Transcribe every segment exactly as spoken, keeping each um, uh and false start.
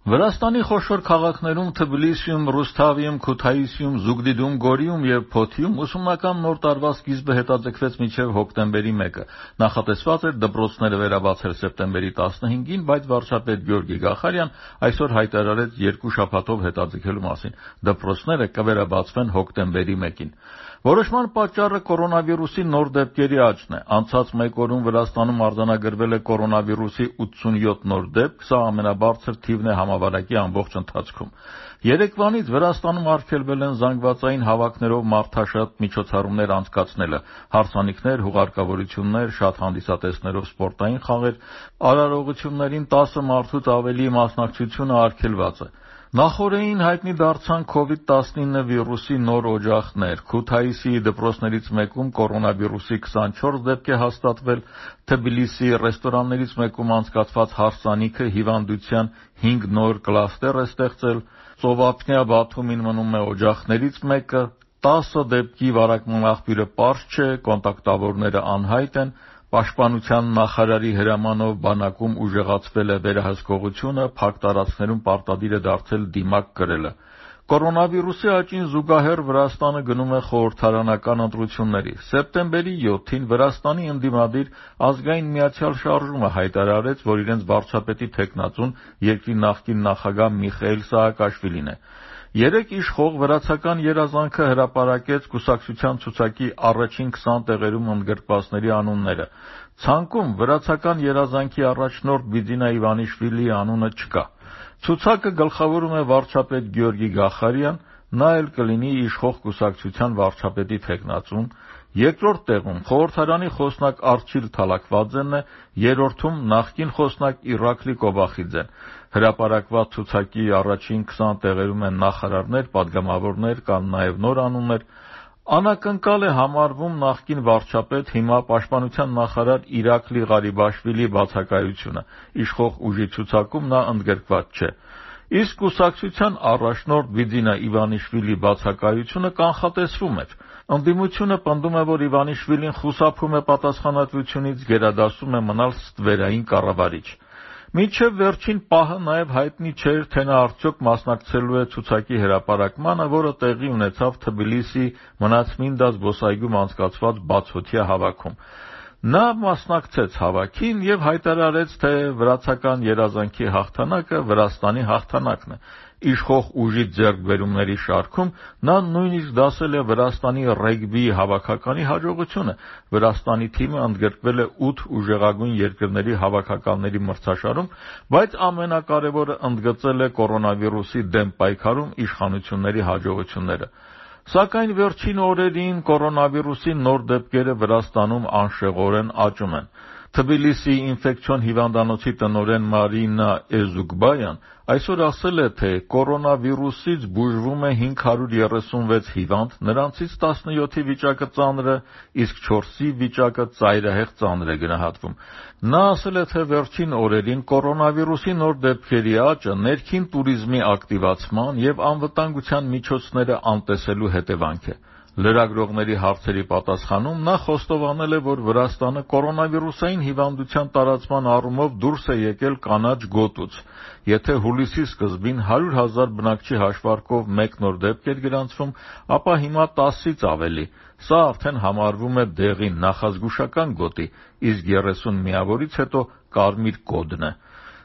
Վրաստանի խոշոր քաղաքներում Թբիլիսիում, Ռուսթավիում, Քութայիսիում, Զուգդիդում, Գորիում և Փոթիում ուսումնական նոր տարվա սկիզբը հետաձգվեց մինչև հոկտեմբերի մեկը։ Նախատեսված էր դպրոցները վերաբացել սեպտեմբերի տասնհինգին, բայց վարչապետ Գյորգի Գախարյան այսօր հայտարարեց երկու շաբաթով հետաձգելու մասին։ Դպրոցները կվերաբացվեն հոկտեմբերի մեկին։ Որոշման պատճառը կորոնավիրուսի նոր դեպքերի աճն է։ Անցած մեկ օրում Վրաստանում արձանագրվել է կորոնավիրուսի ութսունյոթ նոր դեպք, սա ամենաբարձր թիվն է համավարակի ամբողջ ընթացքում։ Երեկվանից Վրաստանում արգելվել են զանգվածային հավաքներով մարդաշատ միջոցառումներ անցկացնելը, հարսանիքներ, հուղարկավորություններ, շատ հանդիսատեսներով սպորտային խաղեր, արարողություններին տասը մարդուց ավելի մասնակցությունը արգելված է։ Նախօրեին հայտնի դարձան քովիդ տասնինը վիրուսի նոր օջախներ։ Քութայիսի դպրոցներից մեկում կորոնավիրուսի քսանչորս դեպք է հաստատվել, Թբիլիսիի ռեստորաններից մեկում անցկացված հարսանիքը հիվանդության հինգ նոր կլաստեր է ստեղծել, Ծովափնյա Բաթումին մնում է օջախներից մեկը, տասը դեպքի վարակման աղբյուրը պարզ չէ, կոնտակտավորները անհայտ են, Պաշտպանության նախարարի հրամանով բանակում ուժեղացվել է վերահսկողությունը, փակ տարածքներում պարտադիր է դարձել դիմակ կրելը։ Կորոնավիրուսի աճին զուգահեռ Վրաստանը գնում է խորհրդարանական ընտրությունների։ Սեպտեմբերի յոթին Վրաստանի ընդդիմադիր Ազգային միացյալ շարժումը հայտարարեց, որ իրենց վարչապետի թեկնածուն երկրի նախկին նախագահ Միխայիլ Սաակաշվիլին է։ Երեկ իշխող վրացական երազանքը հրապարակեց կուսակցության ցուցակի առաջին քսան տեղերում ընդգրկվածների անունները։ Ցանկում վրացական երազանքի առաջնորդ Բիձինա Իվանիշվիլիի անունը չկա։ Ցուցակը գլխավորում է վարչապետ Գյորգի Գախարյան, նա էլ կլինի իշխող կուսակցության վարչապետի թեկնածուն, երկրորդ տեղում խորհրդարանի խոսնակ Արչիլ Թալաքվաձեն է, երրորդում նախկին խոսնակ Իրակլի Կոբախիձեն։ Հրապարակված ցուցակի առաջին քսան տեղերում են նախարարներ, պատգամավորներ, կան նաև նոր անուններ։ Անակնկալ է համարվում նախկին վարչապետ, հիմա պաշտպանության նախարար Իրակլի Ղարիբաշվիլիի բացակայությունը։ Իշխող ուժի ցուցակում նա ընդգրկված չէ։ Իսկ կուսակցության առաջնորդ Բիձինա Իվանիշվիլիի բացակայությունը կանխատեսվում էր։ Ընդդիմությունը պնդում է, որ Իվանիշվիլին խուսափում է պատասխանատվությունից, գերադասում է մնալ ստվերային կառավարիչ։ Մինչև վերջին պահը նաև հայտնի չէր, թե նա արդյոք մասնակցելու է ցուցակի հրապարակմանը, որը տեղի ունեցավ Թբիլիսիի Մնացմինդա զբոսայգում անցկացված բացօթյա հավաքում։ Նա մասնակցեց հավաքին և հայտարարեց, թե վրացական երազանքի հաղթանակը Վրաստանի հաղթանակն է։ Իշխող ուժի ձեռքբերումների շարքում նա նույնիսկ դասել է Վրաստանի ռեգբիի հավաքականի հաջողությունը։ Վրաստանի թիմը ընդգրկվել է ութ ուժեղագույն երկրների հավաքականների մրցաշարում, բայց ամենակարևորը ընդգծել է կորոնավիրուսի դեմ պայքարում իշխանությունների հաջողությունները։ Սակայն վերջին օրերին կորոնավիրուսի նոր դեպքերը Վրաստանում անշեղորեն աճում են։ Թբիլիսիի ինֆեկցիոն հիվանդանոցի տնօրեն Մարինա Էզուգբայան այսօր ասել է, թե կորոնավիրուսից բուժվում է հինգ հարյուր երեսունվեց հիվանդ, նրանցից տասնյոթի վիճակը ծանր է, իսկ չորսի վիճակը ծայրահեղ ծանր է գնահատվում։ Նա ասել է, թե վերջին օրերին կորոնավիրուսի նոր դեպքերի աճը ներքին տուրիզմի ակտիվացման և անվտանգության միջոցները անտեսելու հետևանք է։ Լրագրողների հարցերի պատասխանում նա խոստովանել է, որ Վրաստանը կորոնավիրուսային հիվանդության տարածման առումով դուրս է եկել կանաչ գոտուց։ Եթե հուլիսի սկզբին հարյուր հազար բնակչի հաշվարկով մեկ նոր դեպք էր գրանցվում, ապա հիմա տասից ավելի։ Սա արդեն համարվում է դեղին նախազգուշական գոտի, իսկ երեսուն միավորից հետո կարմիր կոդն է։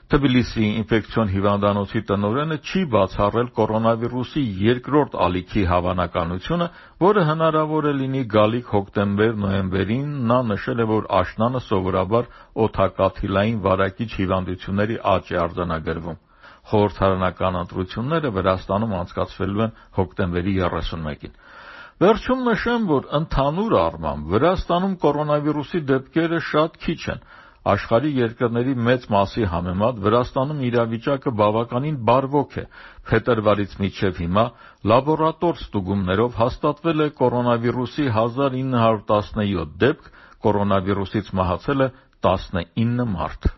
Թբիլիսիի ինֆեկցիոն հիվանդանոցի տնօրենը չի բացառել կորոնավիրուսի երկրորդ ալիքի հավանականությունը, որը հնարավոր է լինի գալիք հոկտեմբեր-նոյեմբերին։ Նա նշել է, որ աշնանը սովորաբար օդակաթիլային վարակիչ հիվանդությունների աճ է արձանագրվում։ Խորհրդարանական ընտրությունները Վրաստանում անցկացվելու են հոկտեմբերի երեսունմեկին։ Վերջում նշեմ, որ ընդհանուր առմամբ Վրաստանում կորոնավիրուսի դեպքերը շատ քիչ են։ Աշխարհի երկրների մեծ մասի համեմատ Վրաստանում իրավիճակը բավականին բարվոք է։ Փետրվարից մինչև հիմա լաբորատոր ստուգումներով հաստատվել է կորոնավիրուսի հազար ինը հարյուր տասնյոթ դեպք, կորոնավիրուսից մահացել է տասնինը մարդ։